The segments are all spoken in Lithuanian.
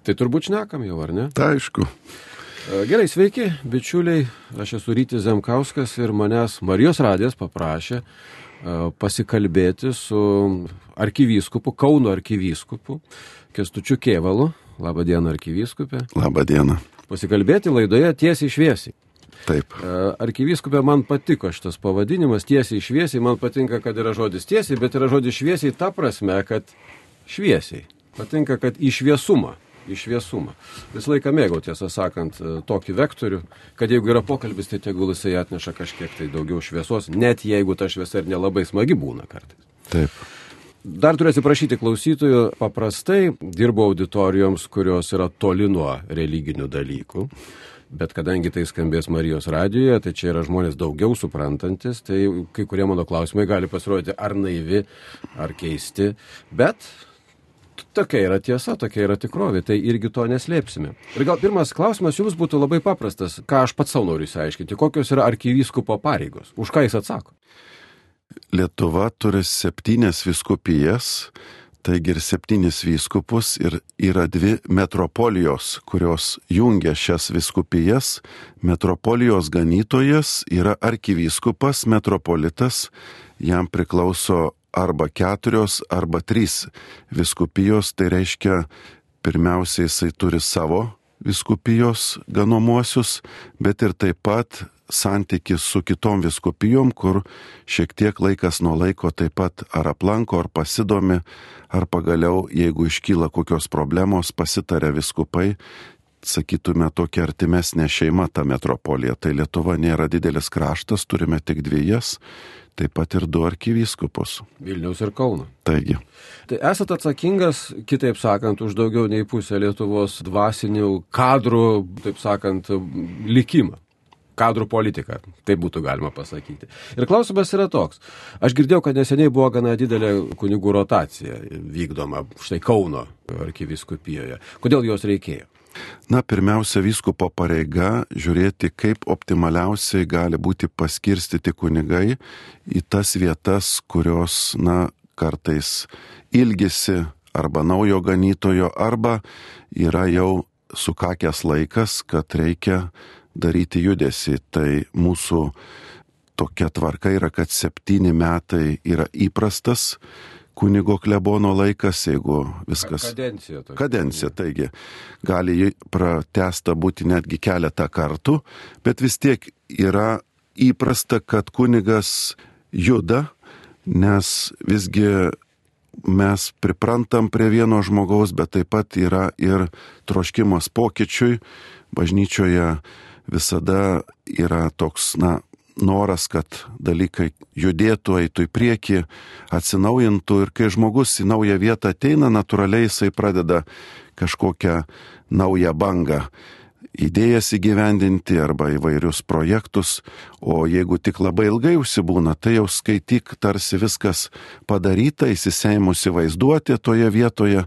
Tai turbūt šnekam jau, ar ne? Tai aišku. Gerai, sveiki, bičiuliai. Aš esu Rytis Zemkauskas ir manęs Marijos radijas paprašė pasikalbėti su arkivyskupu, Kauno arkivyskupu Kęstučiu Kėvalu. Labą dieną, arkivyskupė. Labą dieną. Pasikalbėti laidoje tiesiai šviesiai. Taip. Arkivyskupė, man patiko šitas pavadinimas, tiesiai šviesiai. Man patinka, kad yra žodis tiesiai, bet yra žodis šviesiai ta prasme, kad šviesiai. Patinka, kad į šviesumą. Visą laiką mėgau, tiesą sakant, tokį vektorių, kad jeigu yra pokalbis, tai tegul jisai atneša kažkiek tai daugiau šviesos, net jeigu ta šviesa ir nelabai smagi būna kartais. Taip. Dar turiu atsiprašyti klausytojų, paprastai dirbu auditorijoms, kurios yra toli nuo religinių dalykų, bet kadangi tai skambės Marijos radijoje, tai čia yra žmonės daugiau suprantantis, tai kai kurie mano klausimai gali pasirodyti ar naivi, ar keisti, bet tokia yra tiesa, tokia yra tikrovė, tai irgi to neslėpsime. Ir gal pirmas klausimas jums būtų labai paprastas, ką aš pats savo noriu išsiaiškinti, kokios yra arkivyskupo pareigos, už ką jis atsako? Lietuva turi 7 vyskupijas, taigi ir 7 vyskupus ir yra 2 metropolijos, kurios jungia šias vyskupijas. Metropolijos ganytojas yra arkivyskupas, metropolitas, jam priklauso arba 4 arba 3 vyskupijos, tai reiškia pirmiausiai jisai turi savo vyskupijos ganomuosius, bet ir taip pat santykis su kitom vyskupijom, kur šiek tiek laikas nuo laiko taip pat ar aplanko, ar pasidomi, ar pagaliau, jeigu iškyla kokios problemos, pasitaria vyskupai, sakytume, tokia artimesnė šeima ta metropolija. Tai Lietuva nėra didelis kraštas, turime tik 2, taip pat ir 2 arkivyskupus. Vilniaus ir Kauno. Taigi. Tai esat atsakingas, kitaip sakant, už daugiau nei pusę Lietuvos dvasinių kadrų, taip sakant, likimą. Kadrų politika, taip būtų galima pasakyti. Ir klausimas yra toks. Aš girdėjau, kad neseniai buvo gana didelė kunigų rotacija vykdoma štai Kauno arkivyskupijoje. Kodėl jos reikėjo? Na, pirmiausia, vyskupo pareiga žiūrėti, kaip optimaliausiai gali būti paskirstyti kunigai į tas vietas, kurios, kartais ilgisi arba naujo ganytojo, arba yra jau sukakęs laikas, kad reikia daryti judesį. Tai mūsų tokia tvarka yra, kad 7 metai yra įprastas kunigo klebono laikas, jeigu viskas... Kadencija, taigi gali pratęsta būti netgi keletą kartų, bet vis tiek yra įprasta, kad kunigas juda, nes visgi mes priprantam prie vieno žmogaus, bet taip pat yra ir troškimas pokyčiui. Bažnyčioje visada yra toks, noras, kad dalykai judėtų, eitų į priekį, atsinaujintų, ir kai žmogus į naują vietą ateina, natūraliai jisai pradeda kažkokią naują bangą idėjas įgyvendinti arba įvairius projektus, o jeigu tik labai ilgai užsibūna, tai jau skaityk, tarsi viskas padaryta, įsiseimusi vaizduotė toje vietoje,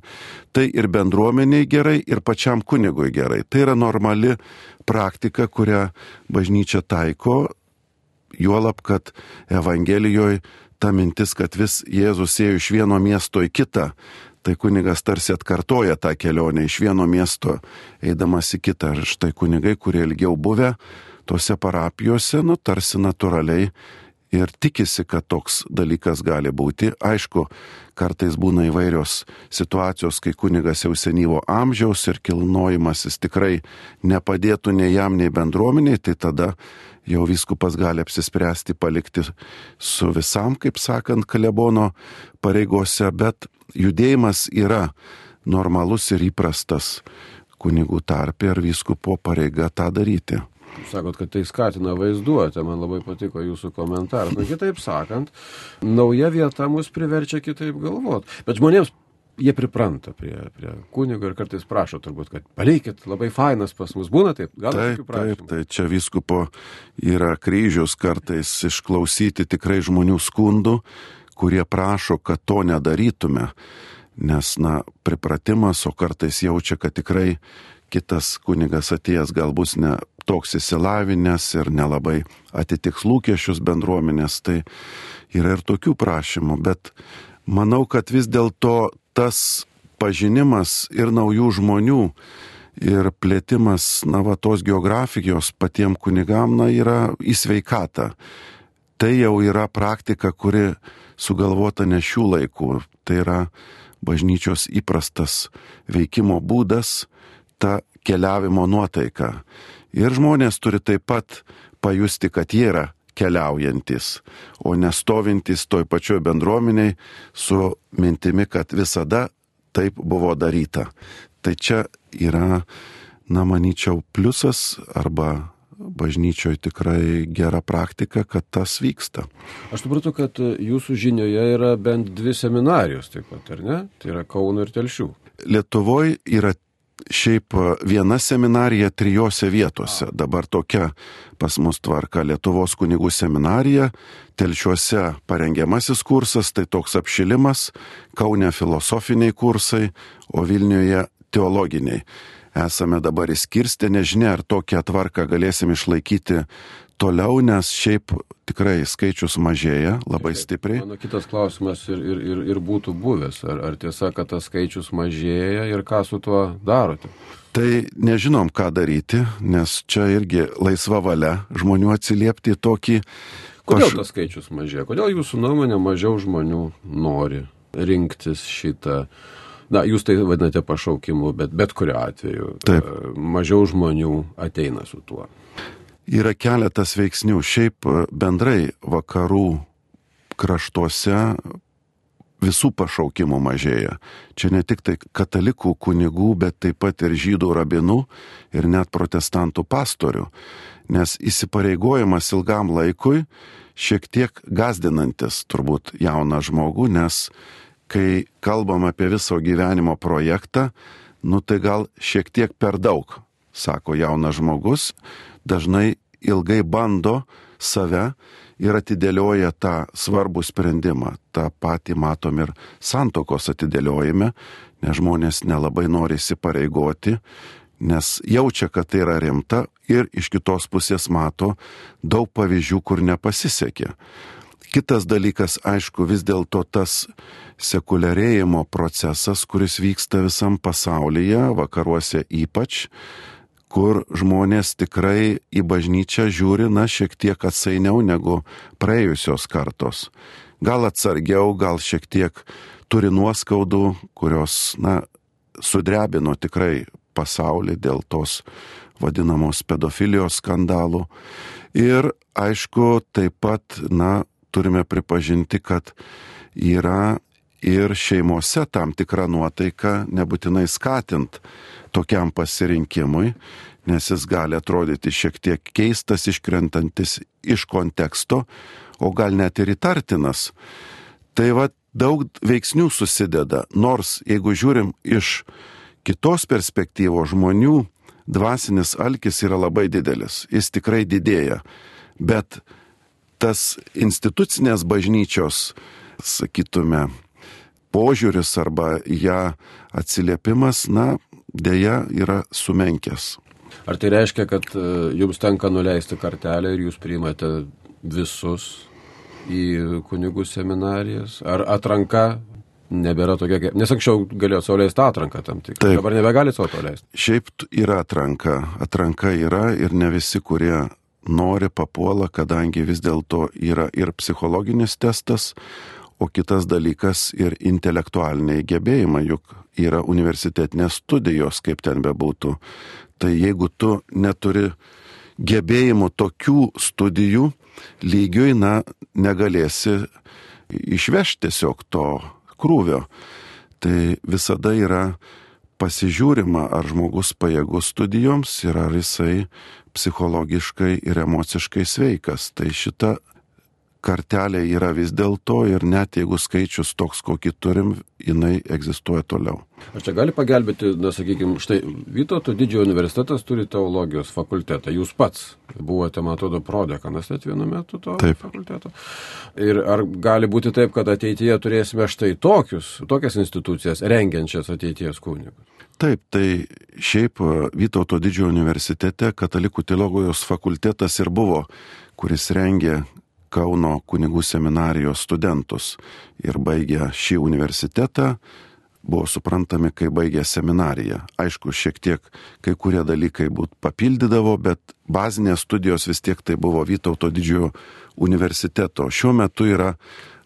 tai ir bendruomeniai gerai, ir pačiam kunigui gerai. Tai yra normali praktika, kurią bažnyčia taiko, juolab, kad Evangelijoje ta mintis, kad vis Jėzus ėjo iš vieno miesto į kitą, tai kunigas tarsi atkartoja tą kelionę iš vieno miesto eidamas į kitą. Ir štai kunigai, kurie ilgiau buvę tose parapijose, tarsi natūraliai ir tikisi, kad toks dalykas gali būti. Aišku, kartais būna įvairios situacijos, kai kunigas jau senyvo amžiaus ir kilnojimasis tikrai nepadėtų nei jam, nei bendruomeniai, tai tada jau vyskupas gali apsispręsti palikti su visam, kaip sakant, klebono pareigose, bet judėjimas yra normalus ir įprastas kunigų tarpe, ir vyskupo pareiga tą daryti. Sakot, kad tai skatina vaizduotę, man labai patiko jūsų komentaras. Kitaip sakant, nauja vieta mus priverčia kitaip galvoti. Bet žmonėms jie pripranta prie kunigo ir kartais prašo turbūt, kad palikit, labai fainas pas mus. Būna taip? Taip, tai čia vyskupo yra kryžius kartais išklausyti tikrai žmonių skundų, kurie prašo, kad to nedarytume. Nes, pripratimas, o kartais jaučia, kad tikrai kitas kunigas atėjęs gal bus ne toks įsilavinęs ir nelabai atitiks lūkesčius bendruomenės, tai yra ir tokių prašymų, bet manau, kad vis dėlto tas pažinimas ir naujų žmonių, ir plėtimas, tos geografijos patiem kunigam, yra į sveikatą. Tai jau yra praktika, kuri sugalvota ne šių laikų. Tai yra bažnyčios įprastas veikimo būdas, ta keliavimo nuotaika. Ir žmonės turi taip pat pajusti, kad jie yra keliaujantis, o nestovintys toj pačioj bendruomeniai su mintimi, kad visada taip buvo daryta. Tai čia yra, manyčiau, pliusas arba bažnyčioje tikrai gera praktika, kad tas vyksta. Aš supratau, kad jūsų žinioje yra bent 2 seminarijos taip pat, ar ne? Tai yra Kauno ir Telšių. Lietuvoje yra šiaip viena seminarija 3 vietose. Dabar tokia pas mus tvarka: Lietuvos kunigų seminarija, Telšiuose parengiamasis kursas, tai toks apšilimas, Kaune filosofiniai kursai, o Vilniuje teologiniai. Esame dabar įskirstę, nežinia, ar tokią tvarką galėsim išlaikyti toliau, nes šiaip tikrai skaičius mažėja labai stipriai. Mano kitas klausimas ir būtų buvęs. Ar tiesa, kad tas skaičius mažėja ir ką su tuo darote? Tai nežinom, ką daryti, nes čia irgi laisva valia žmonių atsiliepti į tokį... Kodėl tas skaičius mažėja? Kodėl jūsų nuomonė mažiau žmonių nori rinktis šitą... Jūs tai vadinate pašaukimu, bet kuriuo atveju Taip. Mažiau žmonių ateina su tuo. Yra keletas veiksnių. Šiaip bendrai vakarų kraštuose visų pašaukimų mažėja. Čia ne tik tai katalikų kunigų, bet taip pat ir žydų rabinų ir net protestantų pastorių. Nes įsipareigojimas ilgam laikui šiek tiek gazdinantis turbūt jauną žmogų, nes kai kalbam apie viso gyvenimo projektą, tai gal šiek tiek per daug, sako jaunas žmogus, dažnai ilgai bando save ir atidėlioja tą svarbų sprendimą. Ta patį matom ir santuokos atidėliojime, nes žmonės nelabai nori įsipareigoti, nes jaučia, kad tai yra rimta, ir iš kitos pusės mato daug pavyzdžių, kur nepasisekė. Kitas dalykas, aišku, vis dėlto tas sekuliarėjimo procesas, kuris vyksta visam pasaulyje, vakaruose ypač, kur žmonės tikrai į bažnyčią žiūri, šiek tiek atsainiau negu praėjusios kartos. Gal atsargiau, gal šiek tiek turi nuoskaudų, kurios, sudrebino tikrai pasaulį dėl tos vadinamos pedofilijos skandalų. Ir, aišku, taip pat, turime pripažinti, kad yra ir šeimose tam tikra nuotaika nebūtinai skatint tokiam pasirinkimui, nes jis gali atrodyti šiek tiek keistas, iškrentantis iš konteksto, o gal net ir įtartinas. Tai daug veiksnių susideda, nors jeigu žiūrim iš kitos perspektyvos, žmonių dvasinis alkis yra labai didelis, jis tikrai didėja, bet tas institucinės bažnyčios, sakytume, požiūris arba ją atsiliepimas, dėja yra sumenkęs. Ar tai reiškia, kad jums tenka nuleisti kartelę ir jūs priimate visus į kunigų seminarijas? Ar atranka nebėra tokia, nes anksčiau galėjo sau leisti atranką tam tik, dabar nebegali sau to leisti? Šiaip yra atranka yra ir ne visi, kurie nori papuola, kadangi vis dėlto yra ir psichologinis testas, o kitas dalykas ir intelektualiniai gebėjimai, juk yra universitetinės studijos, kaip ten bebūtų. Tai jeigu tu neturi gebėjimų tokių studijų lygiui, negalėsi išvežti tiesiog to krūvio. Tai visada yra pasižiūrima, ar žmogus pajėgus studijoms ir ar jisai psichologiškai ir emociškai sveikas. Tai šita kartelė yra vis dėlto ir net jeigu skaičius toks, kokį turim, jinai egzistuoja toliau. Ar čia gali pagelbėti, sakykime, štai Vytauto didžiojo universitetas turi teologijos fakultetą. Jūs pats buvote, man atrodo, prodekanas net vienu metu to fakulteto. Ir ar gali būti taip, kad ateityje turėsime štai tokias institucijas rengiančias ateities kunigus? Taip, tai šiaip Vytauto didžiojo universitete katalikų teologijos fakultetas ir buvo, kuris rengė Kauno kunigų seminarijos studentus ir baigę šį universitetą, buvo suprantami, kai baigė seminariją. Aišku, šiek tiek kai kurie dalykai papildydavo, bet bazinės studijos vis tiek tai buvo Vytauto didžiojo universiteto. Šiuo metu yra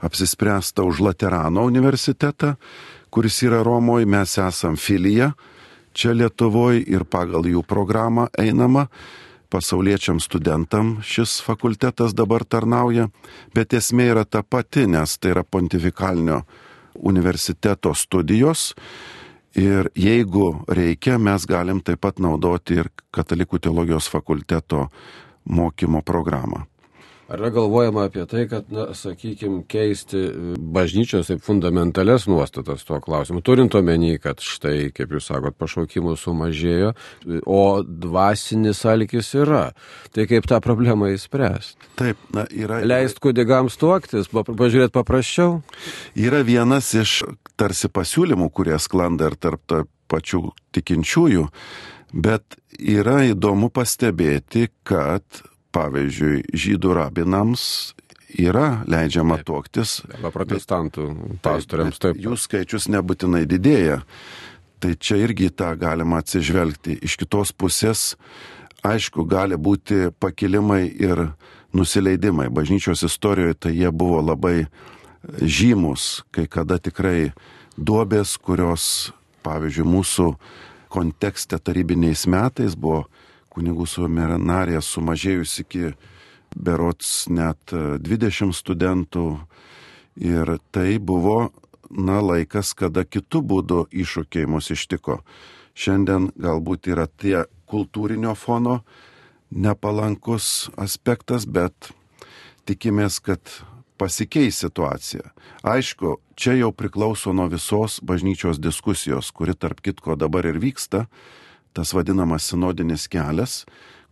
apsispręsta už Laterano universitetą, kuris yra Romoje, mes esam filija čia Lietuvoje ir pagal jų programą einama. Pasauliečiam studentam šis fakultetas dabar tarnauja, bet esmė yra ta pati, nes tai yra pontifikalinio universiteto studijos ir jeigu reikia, mes galim taip pat naudoti ir Katalikų teologijos fakulteto mokymo programą. Ar yra galvojama apie tai, kad, sakykime, keisti bažnyčios taip fundamentalias nuostatas tuo klausimu, turint omeny, kad štai, kaip jūs sakot, pašaukimų sumažėjo, o dvasinis alkis yra. Tai kaip tą problemą įspręsti? Taip, yra. Leist kunigams tuoktis, pažiūrėti paprasčiau? Yra vienas iš tarsi pasiūlymų, kurie sklanda ir tarp pačių tikinčiųjų, bet yra įdomu pastebėti, kad pavyzdžiui, žydų rabinams yra leidžiama tuoktis. Arba protestantų pastoriams taip. Jų skaičius nebūtinai didėja. Tai čia irgi tą galima atsižvelgti. Iš kitos pusės, aišku, gali būti pakilimai ir nusileidimai. Bažnyčios istorijoje tai jie buvo labai žymus, kai kada tikrai duobės, kurios, pavyzdžiui, mūsų kontekste tarybiniais metais buvo kunigų seminarija sumažėjus iki berods net 20 studentų ir tai buvo, laikas, kada kitų būdų iššūkiai mus ištiko. Šiandien galbūt yra tie kultūrinio fono nepalankus aspektas, bet tikimės, kad pasikeis situacija. Aišku, čia jau priklauso nuo visos bažnyčios diskusijos, kuri tarp kitko dabar ir vyksta, tas vadinamas sinodinis kelias,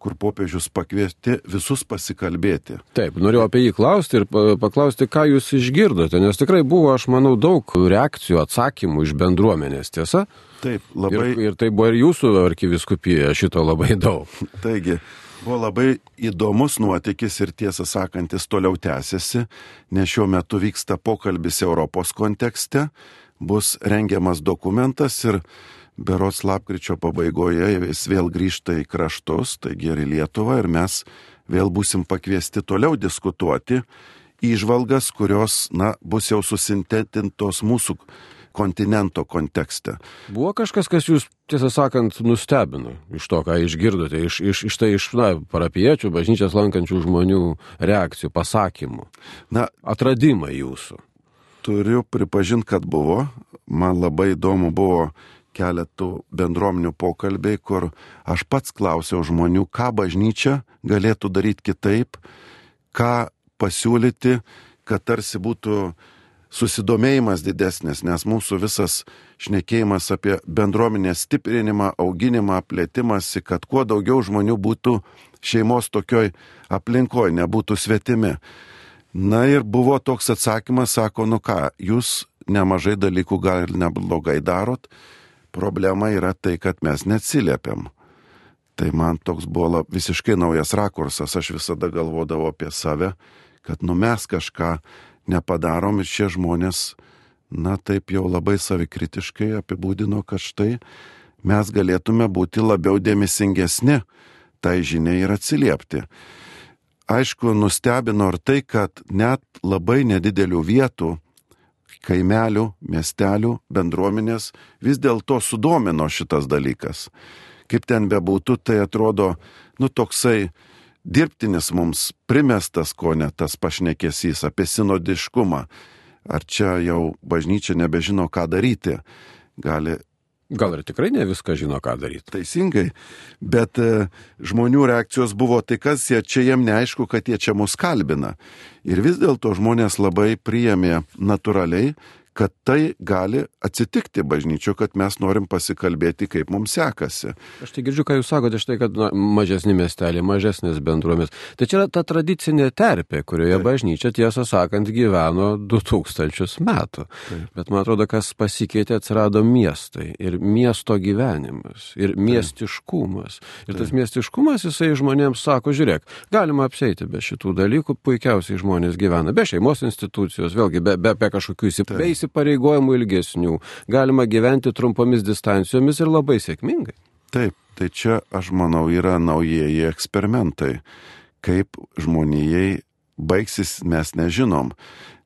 kur popiežius pakviesti visus pasikalbėti. Taip, norėjau apie jį klausti ir paklausti, ką jūs išgirdote, nes tikrai buvo, aš manau, daug reakcijų, atsakymų iš bendruomenės, tiesa? Taip, labai. Ir tai buvo ir jūsų arkivyskupijoje šito labai daug. Taigi, buvo labai įdomus nuotykis ir tiesą sakantis toliau tęsiasi, nes šiuo metu vyksta pokalbis Europos kontekste, bus rengiamas dokumentas ir berods lapkričio pabaigoje jis vėl grįžta į kraštus, taigi ir į Lietuvą, ir mes vėl būsim pakviesti toliau diskutuoti įžvalgas, kurios, bus jau susintetintos mūsų kontinento kontekste. Buvo kažkas, kas jūs, tiesą sakant, nustebino iš to, ką išgirdote, iš parapiečių, bažnyčias lankančių žmonių reakcijų, pasakymų, atradimai jūsų? Turiu pripažinti, kad buvo. Man labai įdomu buvo keletų bendruomenių pokalbiai, kur aš pats klausiau žmonių, ką bažnyčia galėtų daryti kitaip, ką pasiūlyti, kad tarsi būtų susidomėjimas didesnis, nes mūsų visas šnekėjimas apie bendruomenės stiprinimą, auginimą, plėtimąsi, kad kuo daugiau žmonių būtų šeimos tokioj aplinkoje, nebūtų svetimi. Ir buvo toks atsakymas, sako, jūs nemažai dalykų gal ir neblogai darot, problema yra tai, kad mes neatsiliepiam. Tai man toks buvo visiškai naujas rakursas, aš visada galvodavau apie save, kad mes kažką nepadarom ir šie žmonės, taip jau labai savikritiškai apibūdino, kad štai mes galėtume būti labiau dėmesingesni tai žiniai ir atsiliepti. Aišku, nustebino ir tai, kad net labai nedidelių vietų, kaimelių, miestelių, bendruomenės vis dėlto sudomino šitas dalykas. Kaip ten bebūtų, tai atrodo, toksai dirbtinis mums primestas, ko ne tas pašnekesys apie sinodiškumą. Ar čia jau bažnyčia nebežino, ką daryti? Gal ir tikrai ne viską žino, ką daryti. Teisingai, bet žmonių reakcijos buvo tai, kas čia jiem neaišku, kad jie čia mus kalbina. Ir vis dėlto žmonės labai priėmė natūraliai, kad tai gali atsitikti bažnyčio, kad mes norim pasikalbėti, kaip mums sekasi. Aš tai girdžiu, ką jūs sakote, štai, kad mažesni miesteliai, mažesnės bendruomenės. Tai čia yra ta tradicinė terpė, kurioje bažnyčia, tiesą sakant, gyveno 2000 metų. Bet man atrodo, kas pasikeitė, atsirado miestai ir miesto gyvenimas ir miestiškumas. Ir tas miestiškumas, jisai žmonėms sako, žiūrėk, galima apsieiti be šitų dalykų, puikiausiai žmonės gyvena, be šeimos institucijos, vėlgi be kažkokių įsipareigojimų įsipareigojimų ilgesnių, galima gyventi trumpomis distancijomis ir labai sėkmingai. Taip, tai čia, aš manau, yra naujieji eksperimentai. Kaip žmonijai baigsis, mes nežinom,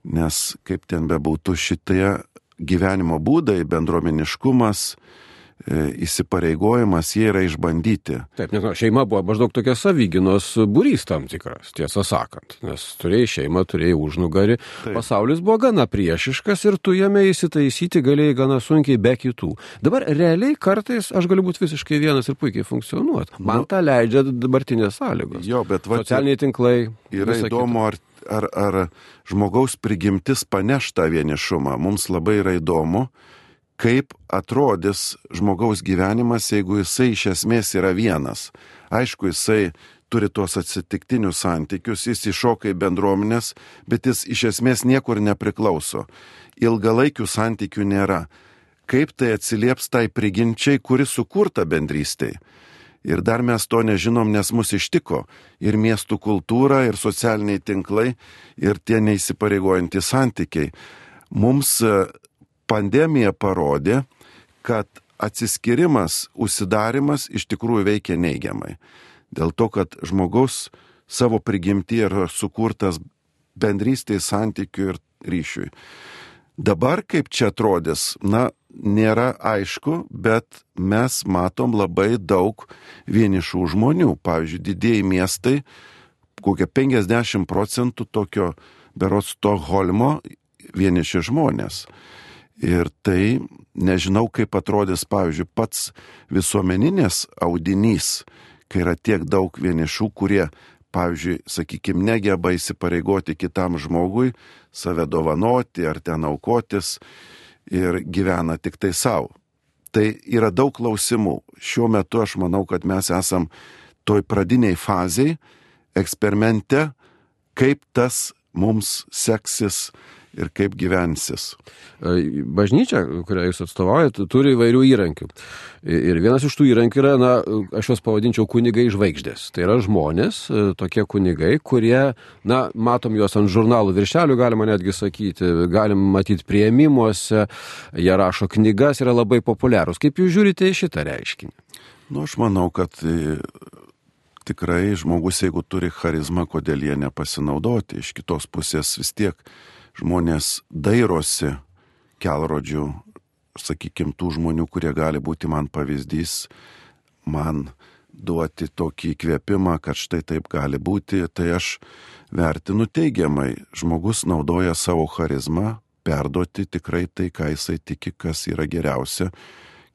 nes kaip ten bebūtų šitie gyvenimo būdai, bendruomeniškumas, įsipareigojimas, jie yra išbandyti. Taip, nes šeima buvo maždaug tokia savyginos būrys tam tikras, tiesą sakant, nes turėjai šeimą, turėjai užnugarį, pasaulis buvo gana priešiškas ir tu jame įsitaisyti galėjai gana sunkiai be kitų. Dabar realiai kartais aš galiu būti visiškai vienas ir puikiai funkcionuoti. Man tą leidžia dabartinės sąlygos. Jo, bet socialiniai tinklai. Yra įdomu, ar žmogaus prigimtis paneš tą vienišumą. Mums labai yra įdomu, kaip atrodys žmogaus gyvenimas, jeigu jisai iš esmės yra vienas. Aišku, jisai turi tuos atsitiktinius santykius, jis iššoka į bendruomenės, bet jis iš esmės niekur nepriklauso. Ilgalaikių santykių nėra. Kaip tai atsilieps tai prigimčiai, kuri sukurta bendrystėj? Ir dar mes to nežinom, nes mus ištiko ir miestų kultūra, ir socialiniai tinklai, ir tie neįsipareigojantys santykiai. Mums pandemija parodė, kad atsiskirimas, užsidarimas iš tikrųjų veikia neigiamai. Dėl to, kad žmogus savo prigimtį yra sukurtas bendrystėj, santykių ir ryšiui. Dabar kaip čia atrodys, nėra aišku, bet mes matom labai daug vienišų žmonių. Pavyzdžiui, didieji miestai, kokie 50% tokio berods Stokholmo vieniši žmonės. Ir tai nežinau, kaip atrodys, pavyzdžiui, pats visuomeninės audinys, kai yra tiek daug vienišų, kurie, pavyzdžiui, sakykime, negeba įsipareigoti kitam žmogui, save dovanoti ar ten aukotis ir gyvena tik tai savo. Tai yra daug klausimų. Šiuo metu aš manau, kad mes esam toj pradiniai fazėj, eksperimente, kaip tas mums seksis ir kaip gyvensis. Bažnyčia, kurią jūs atstovaujate, turi įvairių įrankių. Ir vienas iš tų įrankių yra, aš juos pavadinčiau kunigai žvaigždės. Tai yra žmonės, tokie kunigai, kurie, matom juos ant žurnalų viršelių, galima netgi sakyti, galim matyti priėmimuose, jie rašo knygas, yra labai populiarūs. Kaip jūs žiūrite į šitą reiškinį? Aš manau, kad tikrai žmogus, jeigu turi charizmą, kodėl jie nepasinaudoti. Iš kitos pusės vis tiek žmonės dairosi kelrodžių, sakykime, tų žmonių, kurie gali būti man pavyzdys, man duoti tokį įkvėpimą, kad štai taip gali būti, tai aš vertinu teigiamai. Žmogus naudoja savo charizmą, perduoti tikrai tai, ką jisai tiki, kas yra geriausia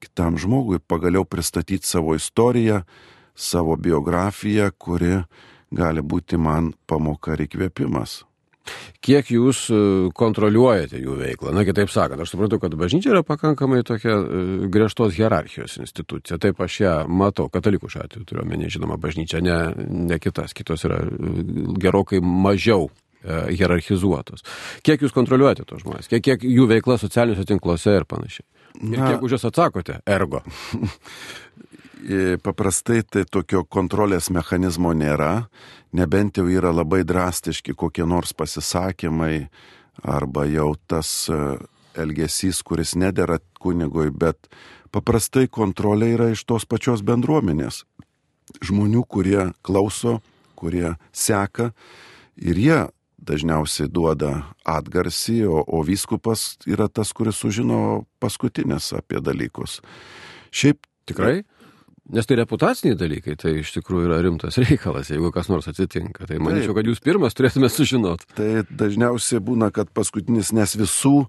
kitam žmogui, pagaliau pristatyti savo istoriją, savo biografiją, kuri gali būti man pamoka ir įkvėpimas. Kiek jūs kontroliuojate jų veiklą? Kitaip sakant, aš suprantu, kad bažnyčia yra pakankamai tokia griežtos hierarchijos institucija. Taip aš ją matau, katalikų šiuo atveju turiu omeny, žinoma, bažnyčia, ne kitas. Kitos yra gerokai mažiau hierarchizuotos. Kiek jūs kontroliuojate tos žmonės? Kiek jų veikla socialiniuose tinkluose ir panašiai? Ir kiek už jas atsakote? Ergo. Paprastai tai tokio kontrolės mechanizmo nėra, nebent jau yra labai drastiški kokie nors pasisakymai arba jau tas elgesys, kuris nedera kunigui, bet paprastai kontrolė yra iš tos pačios bendruomenės. Žmonių, kurie klauso, kurie seka ir jie dažniausiai duoda atgarsį, o vyskupas yra tas, kuris sužino paskutinis apie dalykus. Šiaip tikrai? Nes tai reputaciniai dalykai, tai iš tikrųjų yra rimtas reikalas, jeigu kas nors atsitinka. Tai manyčiau, kad jūs pirmas turėtume sužinoti. Tai dažniausiai būna, kad paskutinis, nes visų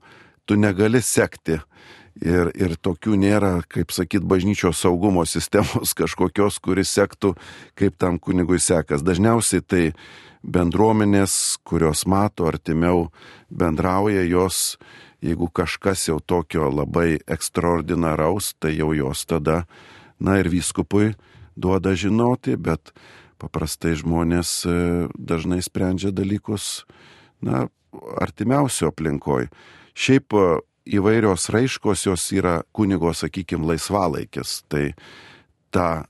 tu negali sekti. Ir tokių nėra, kaip sakyt, bažnyčios saugumo sistemos kažkokios, kuris sektų, kaip tam kunigui sekas. Dažniausiai tai bendruomenės, kurios mato artimiau bendrauja, jos, jeigu kažkas jau tokio labai ekstraordinaraus, tai jau jos tada ir vyskupui duoda žinoti, bet paprastai žmonės dažnai sprendžia dalykus, artimiausio aplinkoj. Šiaip įvairios raiškos jos yra kunigo, sakykime, laisvalaikis. Tai ta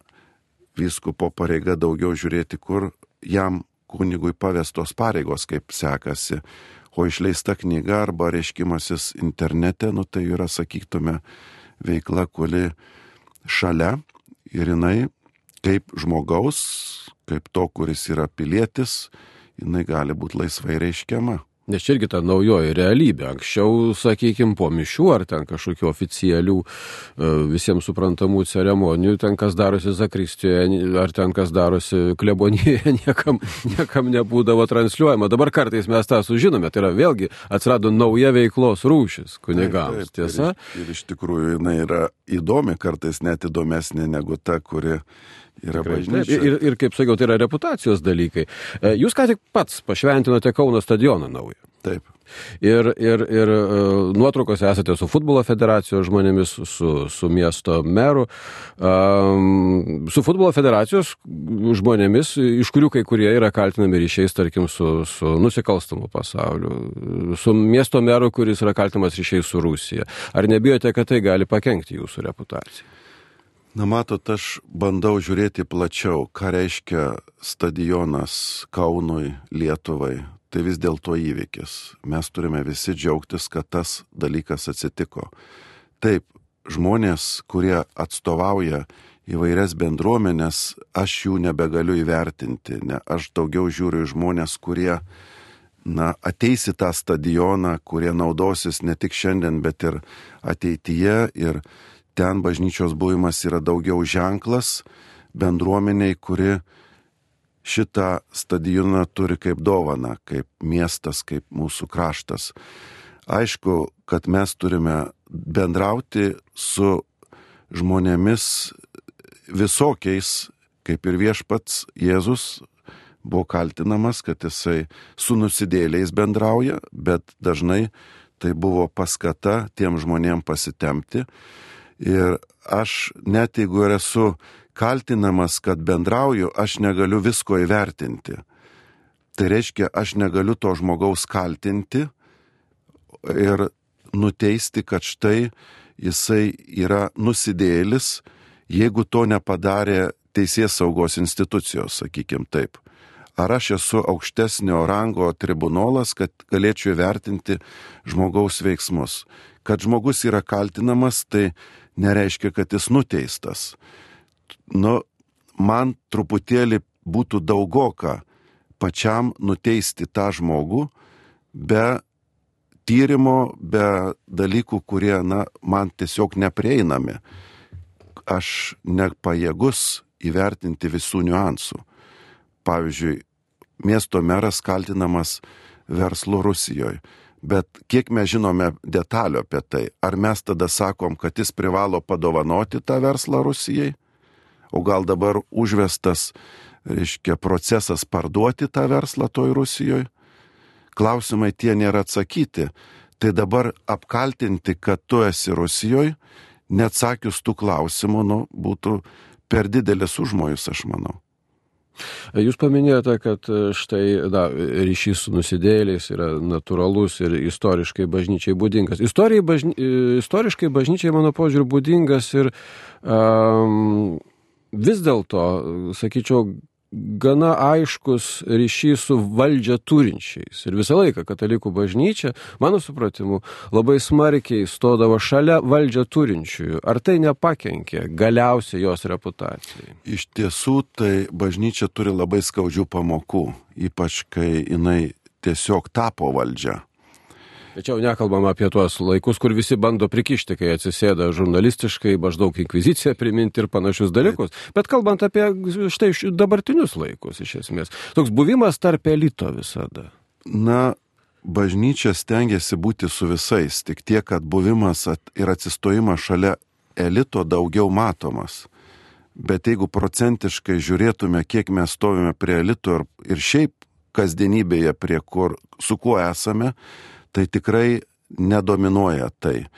vyskupo pareiga daugiau žiūrėti, kur jam kunigui pavestos pareigos, kaip sekasi. O išleista knyga arba reiškimasis internete, tai yra, sakytume, veikla, kuri šalia ir jinai kaip žmogaus, kaip to, kuris yra pilietis, jinai gali būti laisvai reiškiama. Nes čia irgi ta naujoji realybė. Anksčiau, sakykime, po mišių ar ten kažkokių oficialių visiems suprantamų ceremonijų, ten kas darosi zakristijoje, ar ten kas darosi klebonijoje, niekam nebūdavo transliuojama. Dabar kartais mes tą sužinome. Tai yra vėlgi atsirado nauja veiklos rūšis kunigams. Taip, tiesa? Ir iš tikrųjų jinai yra įdomi, kartais net įdomesnė negu ta, kuri yra bažnyčia. Ir kaip sakiau, tai yra reputacijos dalykai. Jūs ką tik pats pašventinote Kauno stadioną naują. Taip. Ir nuotraukose esate su futbolo federacijos žmonėmis, su miesto meru, su futbolo federacijos žmonėmis, iš kurių kai kurie yra kaltinami ryšiais, tarkim, su nusikalstamu pasauliu, su miesto meru, kuris yra kaltinamas ryšiais su Rusija. Ar nebijote, kad tai gali pakenkti jūsų reputacijai? Na, matot, aš bandau žiūrėti plačiau, ką reiškia stadionas Kaunui, Lietuvai. Tai vis dėlto įvykis. Mes turime visi džiaugtis, kad tas dalykas atsitiko. Taip, žmonės, kurie atstovauja įvairias bendruomenės, aš jų nebegaliu įvertinti. Aš daugiau žiūriu į žmonės, kurie ateis į tą stadioną, kurie naudosis ne tik šiandien, bet ir ateityje. Ir ten bažnyčios buvimas yra daugiau ženklas bendruomeniai, kuri šitą stadioną turi kaip dovaną, kaip miestas, kaip mūsų kraštas. Aišku, kad mes turime bendrauti su žmonėmis visokiais, kaip ir viešpats Jėzus buvo kaltinamas, kad jisai su nusidėliais bendrauja, bet dažnai tai buvo paskata tiem žmonėm pasitempti. Ir aš, net jeigu ir esu kaltinamas, kad bendrauju, aš negaliu visko įvertinti. Tai reiškia, aš negaliu to žmogaus kaltinti ir nuteisti, kad štai jisai yra nusidėjėlis, jeigu to nepadarė teisės saugos institucijos, sakykim taip. Ar aš esu aukštesnio rango tribunolas, kad galėčiau įvertinti žmogaus veiksmus. Kad žmogus yra kaltinamas, tai nereiškia, kad jis nuteistas. Man truputėlį būtų daugoka pačiam nuteisti tą žmogų be tyrimo, be dalykų, kurie, man tiesiog neprieinami. Aš nepajėgus įvertinti visų niuansų. Pavyzdžiui, miesto meras kaltinamas verslu Rusijoje. Bet kiek mes žinome detalių apie tai, ar mes tada sakom, kad jis privalo padovanoti tą verslą Rusijai, o gal dabar užvestas, procesas parduoti tą verslą toj Rusijoje? Klausimai tie nėra atsakyti. Tai dabar apkaltinti, kad tu esi Rusijoje, neatsakius tų klausimų, būtų per didelis užmojus, aš manau. Jūs paminėjote, kad štai ryšys su nusidėjėliais yra natūralus ir istoriškai bažnyčiai būdingas. Istoriškai bažnyčiai, mano požiūriu, būdingas ir vis dėlto, sakyčiau, gana aiškus ryšys su valdžia turinčiais. Ir visą laiką katalikų bažnyčia, mano supratimu, labai smarkiai stodavo šalia valdžią turinčiųjų. Ar tai nepakenkė galiausiai jos reputacijai? Iš tiesų, tai bažnyčia turi labai skaudžių pamokų, ypač kai jinai tiesiog tapo valdžia. Tačiau nekalbam apie tuos laikus, kur visi bando prikišti, kai atsisėda žurnalistiškai, maždaug inkviziciją priminti ir panašius dalykus. Bet kalbant apie štai dabartinius laikus, iš esmės. Toks buvimas tarp elito visada. Bažnyčia stengiasi būti su visais, tik tiek, kad buvimas ir atsistojimas šalia elito daugiau matomas. Bet jeigu procentiškai žiūrėtume, kiek mes stovime prie elito ir šiaip kasdienybėje, su kuo esame, tai tikrai nedominuoja tai.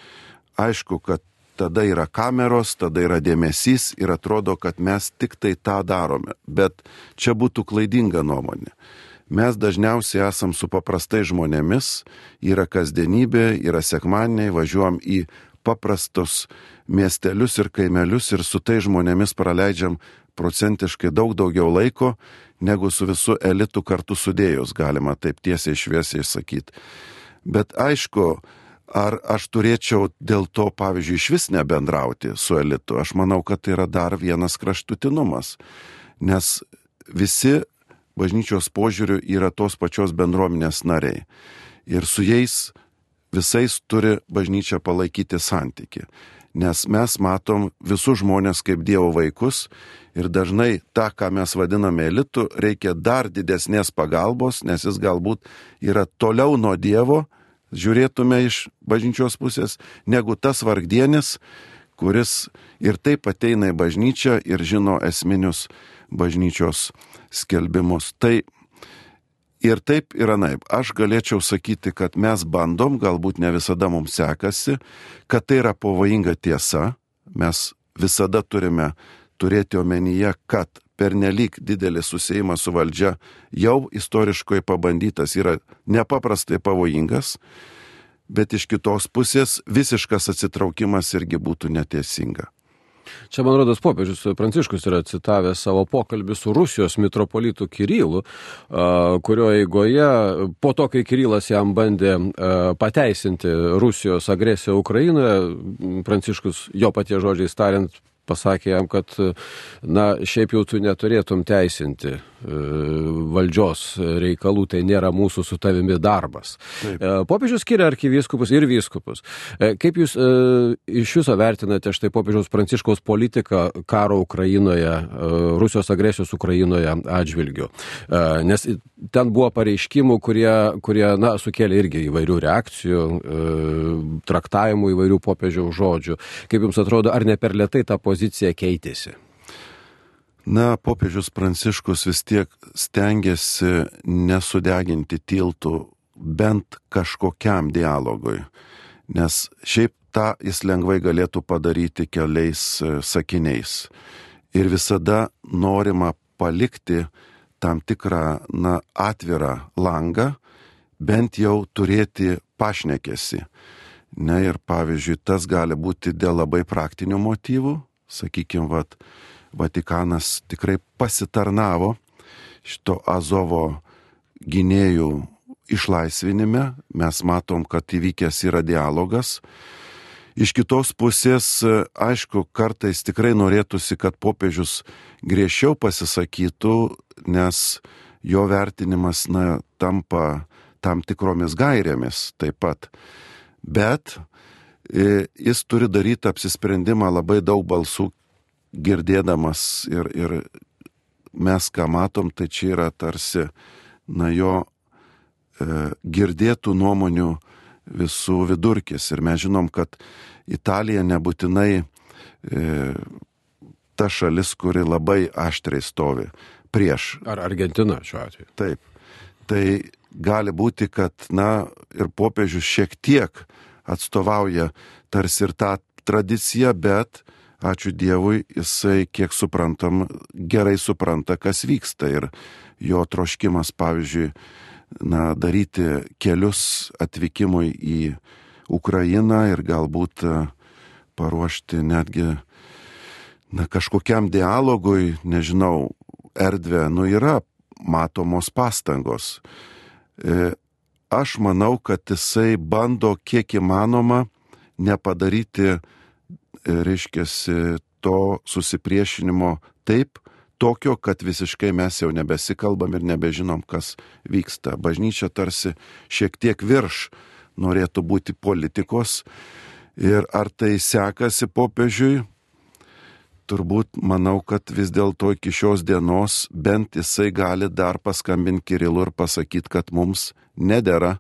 Aišku, kad tada yra kameros, tada yra dėmesys ir atrodo, kad mes tik tai tą darome. Bet čia būtų klaidinga nuomonė. Mes dažniausiai esam su paprastai žmonėmis, yra kasdienybė, yra sekmadieniai, važiuojam į paprastus miestelius ir kaimelius ir su tai žmonėmis praleidžiam procentiškai daug daugiau laiko, negu su visu elitu kartu sudėjus, galima taip tiesiai šviesiai sakyti. Bet aišku, ar aš turėčiau dėl to, pavyzdžiui, iš vis nebendrauti su elitu? Aš manau, kad tai yra dar vienas kraštutinumas, nes visi bažnyčios požiūriu yra tos pačios bendruomenės nariai. Ir su jais visais turi bažnyčia palaikyti santykį. Nes mes matom visus žmonės kaip Dievo vaikus ir dažnai tą, ką mes vadiname elitu, reikia dar didesnės pagalbos, nes jis galbūt yra toliau nuo Dievo, žiūrėtume iš bažnyčios pusės, negu tas vargdienis, kuris ir taip ateina į bažnyčią ir žino esminius bažnyčios skelbimus. Tai ir taip ir anaip. Aš galėčiau sakyti, kad mes bandom, galbūt ne visada mums sekasi, kad tai yra pavojinga tiesa. Mes visada turime turėti omenyje, kad pernelyg didelis susiejimas su valdžia jau istoriškai pabandytas yra nepaprastai pavojingas, bet iš kitos pusės visiškas atsitraukimas irgi būtų neteisinga. Čia, man rodos, popiežius Pranciškus yra citavęs savo pokalbį su Rusijos mitropolitu Kirilu, kurio eigoje, po to, kai Kirilas jam bandė pateisinti Rusijos agresiją Ukrainoje, Pranciškus jo paties žodžiais tariant pasakė jam, kad šiaip jau tu neturėtum teisinti valdžios reikalų, tai nėra mūsų su tavimi darbas. Taip. Popiežius skiria arkivyskupus ir vyskupus. Kaip jūs iš viso vertinate štai popiežiaus Pranciškaus politiką karo Ukrainoje, Rusijos agresijos Ukrainoje atžvilgiu? Nes ten buvo pareiškimų, kurie sukėlė irgi įvairių reakcijų, traktavimų įvairių popiežiaus žodžių. Kaip jums atrodo, ar ne per lėtai ta pozicija keitėsi? Popiežius Pranciškus vis tiek stengiasi nesudeginti tiltų bent kažkokiam dialogui, nes šiaip tą jis lengvai galėtų padaryti keliais sakiniais. Ir visada norima palikti tam tikrą atvirą langą, bent jau turėti pašnekesį. Ir pavyzdžiui, tas gali būti dėl labai praktinių motyvų, sakykime, Vatikanas tikrai pasitarnavo šito Azovo gynėjų išlaisvinime. Mes matom, kad įvykęs yra dialogas. Iš kitos pusės, aišku, kartais tikrai norėtųsi, kad popiežius griežčiau pasisakytų, nes jo vertinimas tampa tam tikromis gairėmis taip pat. Bet jis turi daryti apsisprendimą labai daug balsų girdėdamas ir mes, ką matom, tai čia yra tarsi jo girdėtų nuomonių visų vidurkis. Ir mes žinom, kad Italija nebūtinai ta šalis, kuri labai aštriai stovi prieš. Ar Argentina šiuo atveju? Taip. Tai gali būti, kad ir popiežius šiek tiek atstovauja tarsi ir tą tradiciją, bet ačiū Dievui, jisai, kiek suprantam, gerai supranta, kas vyksta. Ir jo troškimas, pavyzdžiui, daryti kelius atvykimui į Ukrainą ir galbūt paruošti netgi kažkokiam dialogui, nežinau, erdvę, yra matomos pastangos. Aš manau, kad jisai bando kiek įmanoma nepadaryti, reiškiasi, to susipriešinimo taip, tokio, kad visiškai mes jau nebesikalbam ir nebežinom, kas vyksta. Bažnyčia tarsi šiek tiek virš norėtų būti politikos. Ir ar tai sekasi popiežiui? Turbūt manau, kad vis dėlto iki šios dienos bent jisai gali dar paskambinti Kirilui ir pasakyti, kad mums nedera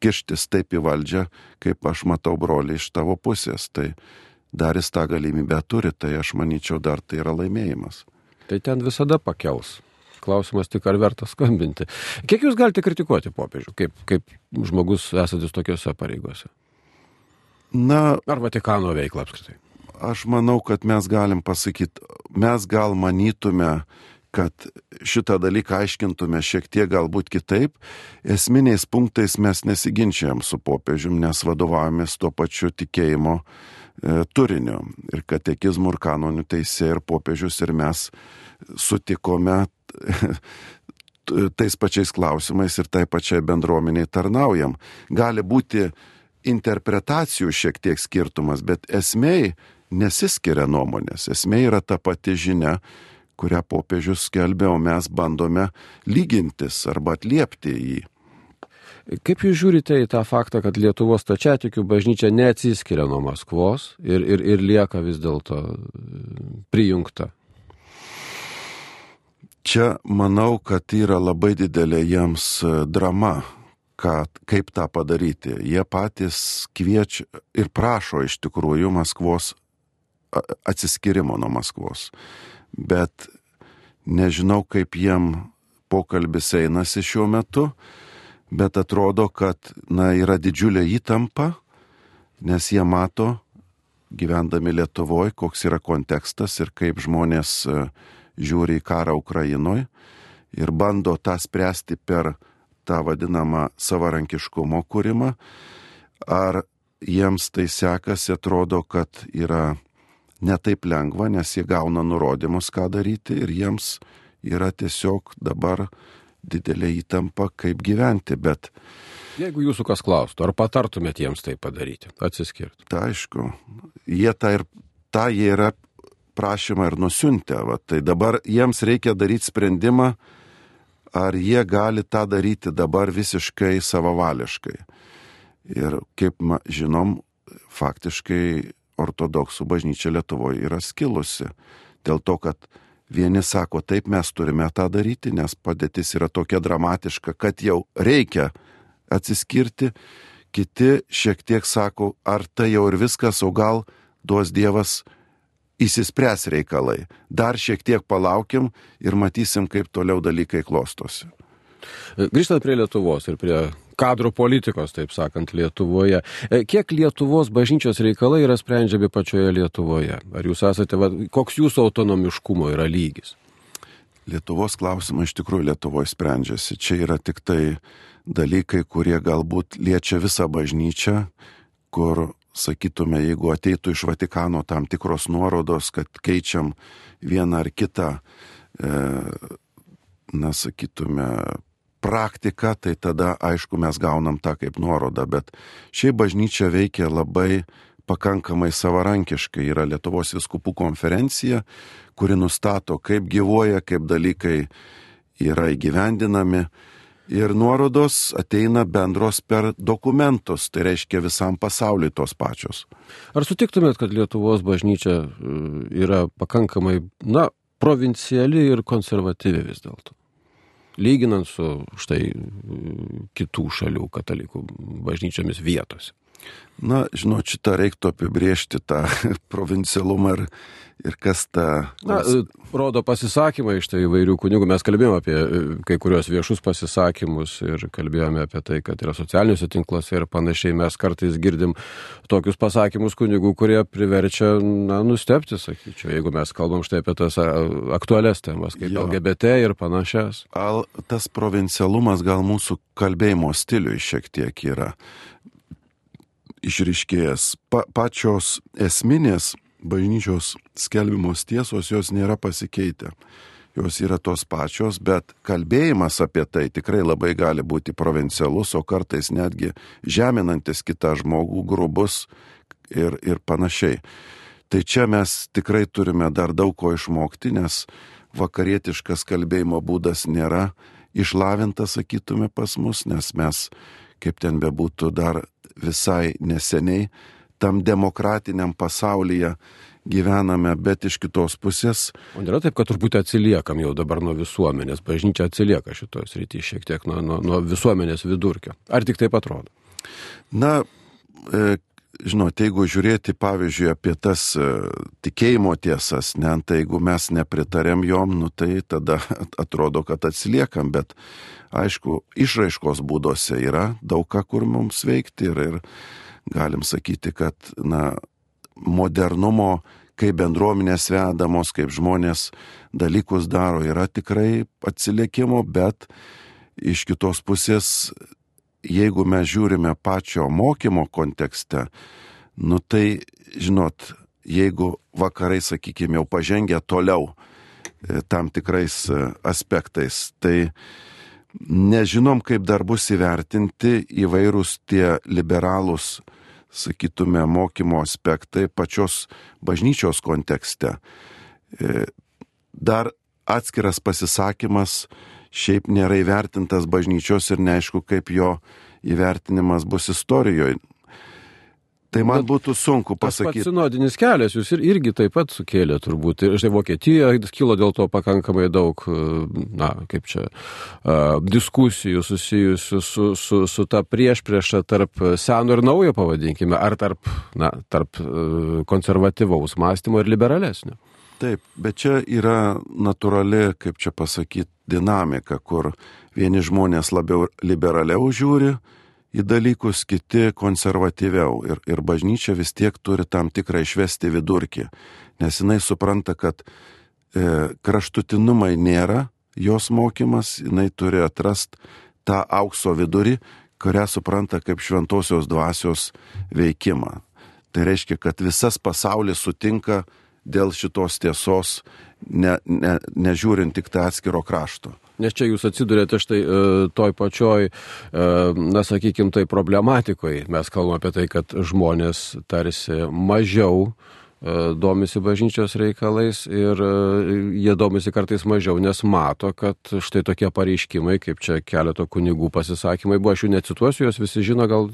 kištis taip į valdžią, kaip aš matau, broliai, iš tavo pusės. Tai dar jis tą galimybę turi, tai aš manyčiau, dar tai yra laimėjimas. Tai ten visada pakels. Klausimas tik, ar verta skambinti. Kiek jūs galite kritikuoti popiežių, kaip žmogus esantis tokiuose pareigose? Ar Vatikano veiklą apskritai? Aš manau, kad mes galim pasakyti, mes gal manytume kad šitą dalyką aiškintume šiek tiek galbūt kitaip, esminiais punktais mes nesiginčiam su popiežium, nes vadovavomės tuo pačiu tikėjimo turiniu. Ir katekizmų ir kanonių teisė ir popiežius ir mes sutikome tais pačiais klausimais ir tai pačiai bendruomeniai tarnaujam. Gali būti interpretacijų šiek tiek skirtumas, bet esmei nesiskiria nuomonės. Esmė yra ta pati žinia, kurią popiežius skelbė, o mes bandome lygintis arba atliepti jį. Kaip jūs žiūrite į tą faktą, kad Lietuvos stačiatikių bažnyčia neatsiskiria nuo Maskvos ir lieka vis dėlto prijungta? Čia manau, kad yra labai didelė jiems drama, kaip tą padaryti. Jie patys kviečia ir prašo iš tikrųjų Maskvos atsiskirimo nuo Maskvos. Bet nežinau, kaip jiem pokalbis einasi šiuo metu, bet atrodo, kad yra didžiulė įtampa, nes jie mato, gyvendami Lietuvoje, koks yra kontekstas ir kaip žmonės žiūri į karą Ukrainoje ir bando tą spręsti per tą vadinamą savarankiškumo kūrimą. Ar jiems tai sekasi, atrodo, kad yra netaip lengva, nes jie gauna nurodymus, ką daryti ir jiems yra tiesiog dabar didelė įtampa, kaip gyventi, bet... Jeigu jūsų kas klaustų, ar patartumėt jiems tai padaryti, atsiskirti? Tai aišku, jie yra prašymą ir nusiuntę, tai dabar jiems reikia daryti sprendimą, ar jie gali tą daryti dabar visiškai savavališkai. Ir kaip žinom, faktiškai ortodoksų bažnyčia Lietuvoje yra skilusi. Dėl to, kad vieni sako, taip mes turime tą daryti, nes padėtis yra tokia dramatiška, kad jau reikia atsiskirti. Kiti šiek tiek sako, ar tai jau ir viskas, o gal duos Dievas įsispręs reikalai. Dar šiek tiek palaukim ir matysim, kaip toliau dalykai klostosi. Grįžtant prie Lietuvos ir prie kadrų politikos, taip sakant, Lietuvoje. Kiek Lietuvos bažnyčios reikalai yra sprendžiami pačioje Lietuvoje? Ar jūs esate, koks jūsų autonomiškumo yra lygis? Lietuvos klausimai iš tikrųjų Lietuvoje sprendžiasi. Čia yra tik tai dalykai, kurie galbūt liečia visą bažnyčią, kur, sakytume, jeigu ateitų iš Vatikano tam tikros nuorodos, kad keičiam vieną ar kitą, sakytume, praktiką, tai tada, aišku, mes gaunam tą kaip nuorodą, bet šiaip bažnyčia veikia labai pakankamai savarankiškai. Yra Lietuvos vyskupų konferencija, kuri nustato, kaip gyvuoja, kaip dalykai yra įgyvendinami. Ir nuorodos ateina bendros per dokumentus, tai reiškia visam pasauliui tos pačios. Ar sutiktumėt, kad Lietuvos bažnyčia yra pakankamai, provinciali ir konservatyvi vis dėlto? Lyginant su štai kitų šalių katalikų bažnyčiomis vietose. Žinot, šitą reiktų apibrėžti tą provincialumą ir kas tą... Rodo pasisakymai iš tai įvairių kunigų. Mes kalbėjome apie kai kurios viešus pasisakymus ir kalbėjome apie tai, kad yra socialiniuose tinkluose ir panašiai. Mes kartais girdim tokius pasakymus kunigų, kurie priverčia nustebti, sakyčiau, jeigu mes kalbam štai apie tas aktualias temas, kaip LGBT ir panašias. Tas provincialumas gal mūsų kalbėjimo stiliui šiek tiek yra išryškėjęs. Pačios esminės bažnyčios skelbimos tiesos, jos nėra pasikeitę. Jos yra tos pačios, bet kalbėjimas apie tai tikrai labai gali būti provincialus, o kartais netgi žeminantis kitą žmogų, grubus ir panašiai. Tai čia mes tikrai turime dar daug ko išmokti, nes vakarietiškas kalbėjimo būdas nėra išlavintas, sakytume, pas mus, nes mes, kaip ten bebūtų, dar visai neseniai tam demokratiniam pasaulyje gyvename, bet iš kitos pusės. O nėra taip, kad turbūt atsiliekam jau dabar nuo visuomenės. Bažnyčia atsilieka šitoje srityje šiek tiek nuo visuomenės vidurkio. Ar tik taip atrodo? Žinot, jeigu žiūrėti, pavyzdžiui, apie tas tikėjimo tiesas, tai jeigu mes nepritarėm jom, tai tada atrodo, kad atsiliekam, bet aišku, išraiškos būdose yra daug ką, kur mums veikti ir galim sakyti, kad modernumo kaip bendruomenės vedamos, kaip žmonės dalykus daro, yra tikrai atsilikimo, bet iš kitos pusės, jeigu mes žiūrime pačio mokymo kontekste, nu tai, žinot, jeigu vakarai, sakykime, jau pažengę toliau tam tikrais aspektais, tai nežinom, kaip dar bus įvertinti įvairūs tie liberalūs, sakytume, mokymo aspektai pačios bažnyčios kontekste. Dar atskiras pasisakymas šiaip nėra įvertintas bažnyčios ir neaišku, kaip jo įvertinimas bus istorijoje. Tai man būtų sunku pasakyti. Tas pats sinodinis kelias jūs irgi taip pat sukėlė turbūt. Ir štai Vokietija kilo dėl to pakankamai daug, diskusijų susijusių su ta priešprieša tarp seno ir naujo, pavadinkime, ar tarp konservatyvaus mąstymo ir liberalesnio. Taip, bet čia yra natūrali, kaip čia pasakyti, dinamika, kur vieni žmonės labiau liberaliau žiūri į dalykus, kiti konservatyviau. Ir bažnyčia vis tiek turi tam tikrą išvesti vidurkį, nes jinai supranta, kad kraštutinumai nėra jos mokymas, jinai turi atrasti tą aukso vidurį, kurią supranta kaip šventosios dvasios veikimą. Tai reiškia, kad visas pasaulis sutinka dėl šitos tiesos, nežiūrint tik tą atskiro krašto. Nes čia jūs atsidurėte štai toj pačioj, sakykime, tai problematikoje. Mes kalbame apie tai, kad žmonės tarsi mažiau domisi bažnyčios reikalais ir jie domisi kartais mažiau, nes mato, kad štai tokie pareiškimai, kaip čia keleto kunigų pasisakymai buvo, aš jų necituosiu, jos visi žino, gal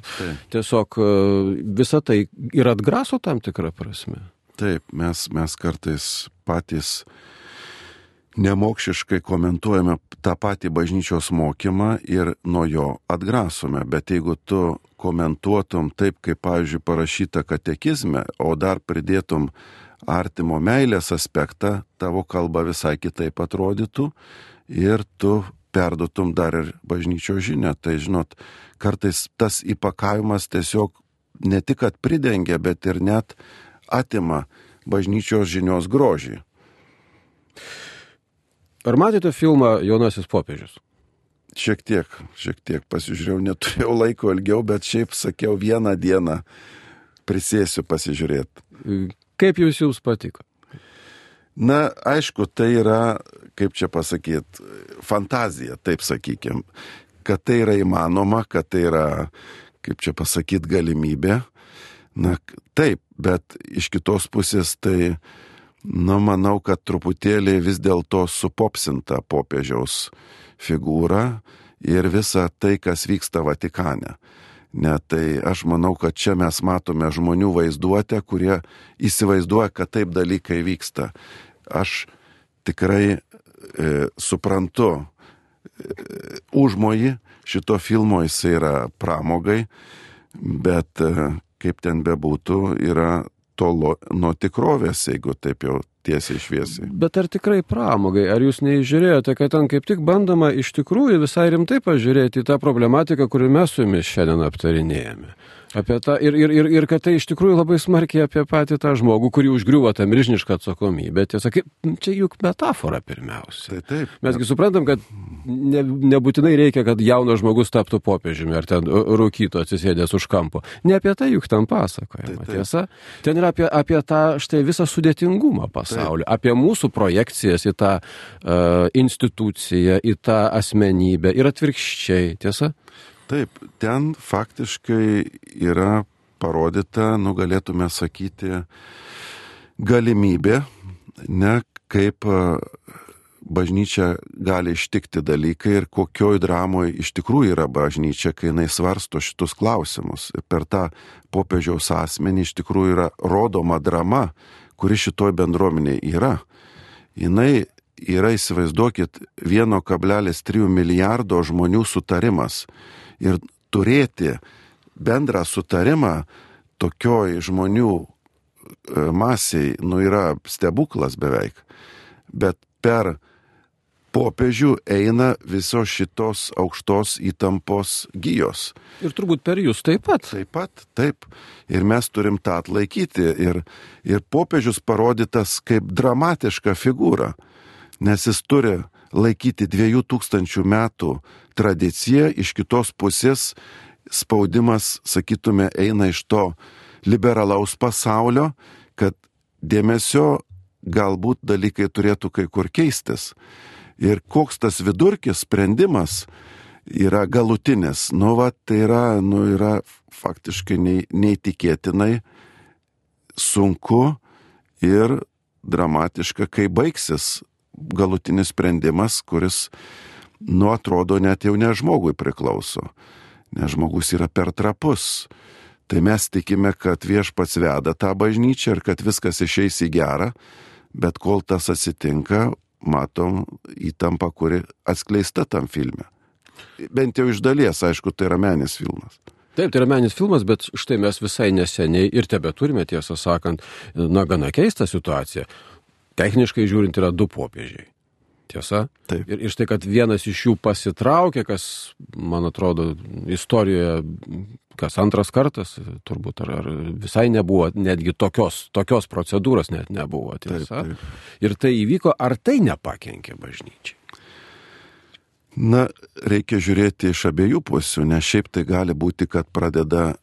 tiesiog visą tai ir atgraso tam tikrą prasme. Taip, mes kartais patys nemokšiškai komentuojame tą patį bažnyčios mokymą ir nuo jo atgrasome, bet jeigu tu komentuotum taip, kaip, pavyzdžiui, parašyta katekizme, o dar pridėtum artimo meilės aspektą, tavo kalba visai kitaip atrodytų ir tu perduotum dar ir bažnyčios žinią. Tai, žinot, kartais tas įpakavimas tiesiog ne tik kad pridengia, bet ir net atima bažnyčios žinios grožį. Ar matėte filmą Jaunasis popiežius? Šiek tiek pasižiūrėjau, neturėjau laiko ilgiau, bet šiaip sakiau, vieną dieną prisėsiu pasižiūrėti. Kaip jums patiko? Na, aišku, tai yra, kaip čia pasakyti, fantazija, taip sakykim, kad tai yra įmanoma, kad tai yra, kaip čia pasakyti, galimybė. Na, taip, bet iš kitos pusės tai, manau, kad truputėlį vis dėlto supopsinta popiežiaus figūra ir visa tai, kas vyksta Vatikane. Tai aš manau, kad čia mes matome žmonių vaizduotę, kurie įsivaizduoja, kad taip dalykai vyksta. Aš tikrai suprantu užmojį šito filmo, jis yra pramogai, bet kaip ten bebūtų, yra tolo nuo tikrovės, jeigu taip jau tiesiai šviesiai. Bet ar tikrai pramogai? Ar jūs neįžiūrėjote, kad ten kaip tik bandoma iš tikrųjų visai rimtai pažiūrėti į tą problematiką, kurį mes su jumis šiandien aptarinėjame? Apie tą, ir kad tai iš tikrųjų labai smarkiai apie patį tą žmogų, kurį užgriuvo tą milžinišką atsakomybę. Tiesa, čia juk metafora pirmiausia. Taip. Mesgi suprantam, kad nebūtinai reikia, kad jaunas žmogus taptų popiežiumi ar ten rūkytų atsisėdęs už kampo. Ne apie tai juk ten pasakojama. Tiesa, ten yra apie tą štai visą sudėtingumą pasaulio, apie mūsų projekcijas į tą instituciją, į tą asmenybę ir atvirkščiai. Tiesa? Taip, ten faktiškai yra parodyta, galėtume sakyti, galimybė, kaip bažnyčia gali ištikti dalykai ir kokioj dramoje iš tikrųjų yra bažnyčia, kai jinai svarsto šitus klausimus. Per tą popiežiaus asmenį iš tikrųjų yra rodoma drama, kuri šitoj bendruomeniai yra. Jinai yra, įsivaizduokit, 1,3 milijardo žmonių sutarimas. Ir turėti bendrą sutarimą tokioj žmonių masiai, yra stebuklas beveik. Bet per popiežių eina visos šitos aukštos įtampos gijos. Ir turbūt per jūs taip pat. Taip. Ir mes turim tą atlaikyti. Ir popiežius parodytas kaip dramatiška figūra, nes jis turi laikyti 2000 metų tradiciją, iš kitos pusės spaudimas, sakytume, eina iš to liberalaus pasaulio, kad dėmesio galbūt dalykai turėtų kai kur keistis. Ir koks tas vidurkis, sprendimas yra galutinis. Tai yra faktiškai neįtikėtinai sunku ir dramatiška, kai baigsis galutinis sprendimas, kuris, atrodo, net jau ne žmogui priklauso. Nes žmogus yra per trapus. Tai mes tikime, kad Viešpats veda tą bažnyčią ir kad viskas išeis į gerą, bet kol tas atsitinka, matom įtampą, kuri atskleista tam filme. Bent jau iš dalies, aišku, tai yra meninis filmas. Taip, tai yra meninis filmas, bet štai mes visai neseniai ir tebeturime, tiesą sakant, gana keistą situaciją. Techniškai žiūrint yra 2 popiežiai. Tiesa? Taip. Ir štai, kad vienas iš jų pasitraukė, kas, man atrodo, istorijoje, kas antras kartas, turbūt, ar visai nebuvo, netgi tokios procedūros net nebuvo, tiesa? Taip. Ir tai įvyko, ar tai nepakenkė bažnyčiai? Reikia žiūrėti iš abiejų pusių, nes šiaip tai gali būti, kad pradeda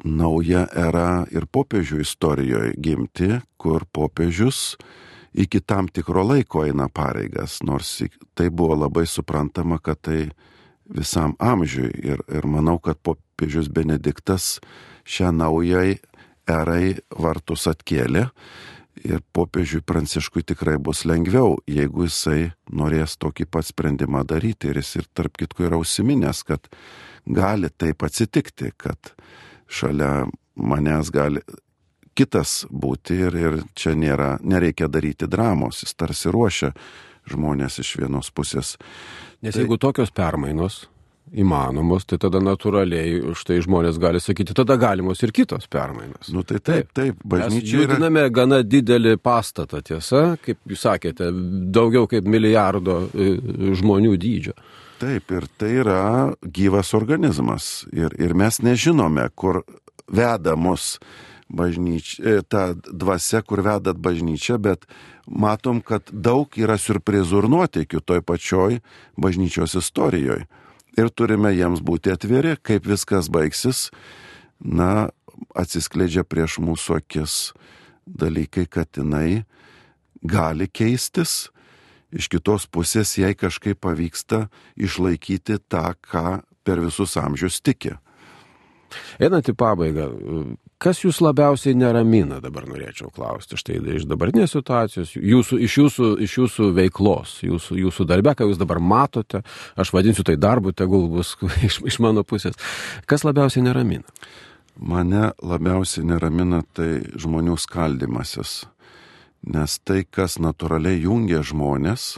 nauja era ir popiežių istorijoje gimti, kur popiežius iki tam tikro laiko eina pareigas, nors tai buvo labai suprantama, kad tai visam amžiui. Ir manau, kad popiežius Benediktas šią naujai erai vartus atkėlė ir popiežiui Pranciškui tikrai bus lengviau, jeigu jisai norės tokį pat sprendimą daryti. Ir jis ir tarp kitko yra užsiminęs, kad gali taip atsitikti, kad šalia manęs gali kitas būti ir čia nereikia daryti dramos, jis tarsi ruošia žmonės iš vienos pusės. Nes jeigu tokios permainos įmanomos, tai tada natūraliai štai žmonės gali sakyti, tada galimos ir kitos permainos. Taip, bažnyčia mes judiname gana didelį pastatą, tiesa, kaip jūs sakėte, daugiau kaip 1 milijardo žmonių dydžio. Taip, ir tai yra gyvas organizmas ir mes nežinome, kur veda mus bažnyčia, ta dvasia, kur vedat bažnyčią, bet matom, kad daug yra siurprizų ir nuotykių toj pačioj bažnyčios istorijoje. Ir turime jiems būti atviri, kaip viskas baigsis, atsiskleidžia prieš mūsų akis dalykai, kad jinai gali keistis. Iš kitos pusės jai kažkaip pavyksta išlaikyti tą, ką per visus amžius tiki. Einant į pabaigą, kas jūs labiausiai neramina, dabar norėčiau klausti, štai iš dabartinės situacijos, iš jūsų veiklos, jūsų darbe, ką jūs dabar matote, aš vadinsiu tai darbu, tegul bus iš mano pusės. Kas labiausiai neramina? Mane labiausiai neramina tai žmonių skaldymasis, nes tai, kas natūraliai jungia žmonės.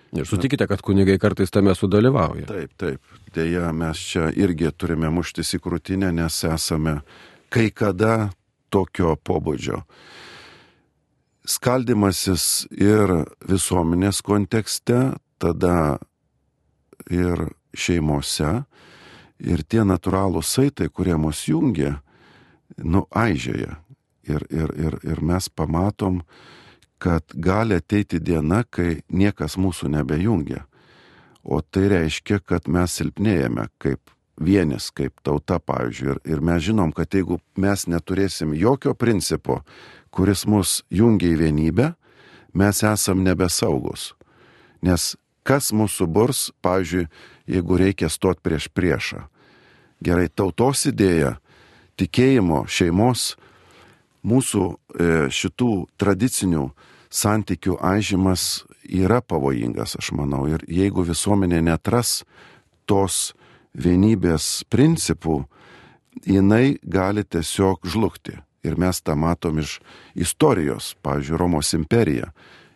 Ir sutikite, kad kunigai kartais tame sudalyvauja. Taip. Deja, mes čia irgi turime muštis į krūtinę, nes esame kai kada tokio pobūdžio. Skaldymasis ir visuomenės kontekste, tada ir šeimose, ir tie natūralūs saitai, kurie mus jungia, aižėja. Ir mes pamatom, kad gali ateiti diena, kai niekas mūsų nebejungia. O tai reiškia, kad mes silpnėjame kaip vienis, kaip tauta, pavyzdžiui. Ir mes žinom, kad jeigu mes neturėsim jokio principo, kuris mus jungia į vienybę, mes esam nebesaugus. Nes kas mūsų burs, pavyzdžiui, jeigu reikia stot prieš priešą. Gerai, tautos idėja, tikėjimo, šeimos, mūsų šitų tradicinių santykių aižymas yra pavojingas, aš manau. Ir jeigu visuomenė netras tos vienybės principų, jinai gali tiesiog žlugti. Ir mes tą matom iš istorijos, pavyzdžiui, Romos imperija.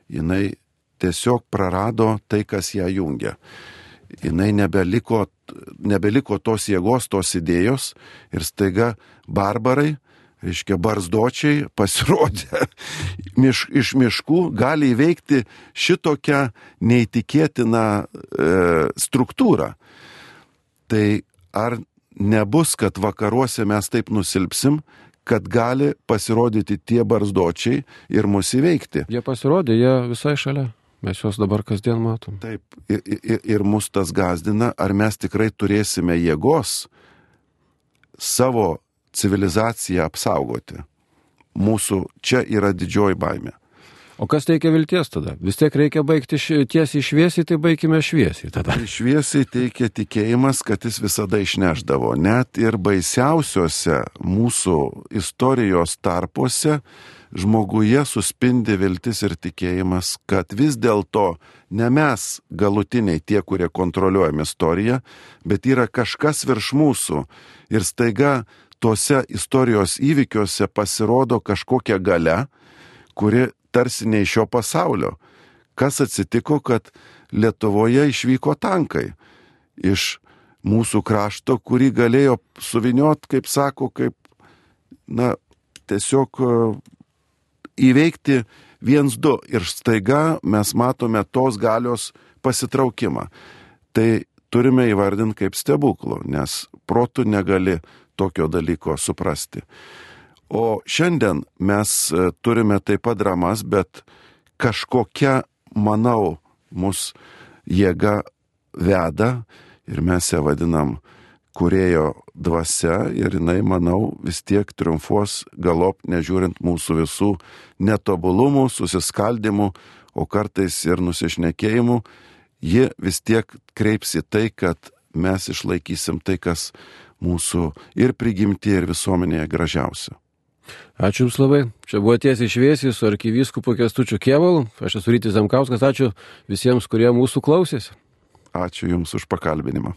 Jinai tiesiog prarado tai, kas ją jungia. Jinai nebeliko tos jėgos, tos idėjos ir staiga barbarai reiškia, barzdočiai pasirodė iš miškų, gali įveikti šitokią neįtikėtiną struktūrą. Tai ar nebus, kad vakaruose mes taip nusilpsim, kad gali pasirodyti tie barzdočiai ir mus įveikti? Jie pasirodė, jie visai šalia. Mes juos dabar kasdien matom. Taip, ir mus tas gazdina, ar mes tikrai turėsime jėgos savo civilizaciją apsaugoti. Mūsų čia yra didžioji baimė. O kas teikia vilties tada? Vis tiek reikia baigti tiesiai šviesiai, tai baigime šviesiai tada. Šviesiai teikia tikėjimas, kad jis visada išnešdavo. Net ir baisiausiose mūsų istorijos tarpuose žmoguje suspindi viltis ir tikėjimas, kad vis dėlto ne mes galutiniai tie, kurie kontroliuojam istoriją, bet yra kažkas virš mūsų. Ir staiga tuose istorijos įvykiuose pasirodo kažkokia galia, kuri tarsi ne iš šio pasaulio. Kas atsitiko, kad Lietuvoje išvyko tankai iš mūsų krašto, kurį galėjo suviniot, kaip sako, kaip, tiesiog įveikti 1-2 ir staiga mes matome tos galios pasitraukimą. Tai turime įvardinti kaip stebuklų, nes protu negali tokio dalyko suprasti. O šiandien mes turime taip pat dramas, bet kažkokia, manau, mus jėga veda ir mes ją vadinam kūrėjo dvasia ir jinai, manau, vis tiek triumfuos galop, nežiūrint mūsų visų netobulumų, susiskaldimų, o kartais ir nusišnekėjimų, ji vis tiek kreips į tai, kad mes išlaikysim tai, kas mūsų ir prigimti, ir visuomenėje gražiausia. Ačiū Jums labai. Čia buvo tiesiai šviesiai su arkivyskupu Kęstučiu Kėvalu. Aš esu Rytis Zemkauskas. Ačiū visiems, kurie mūsų klausėsi. Ačiū Jums už pakalbinimą.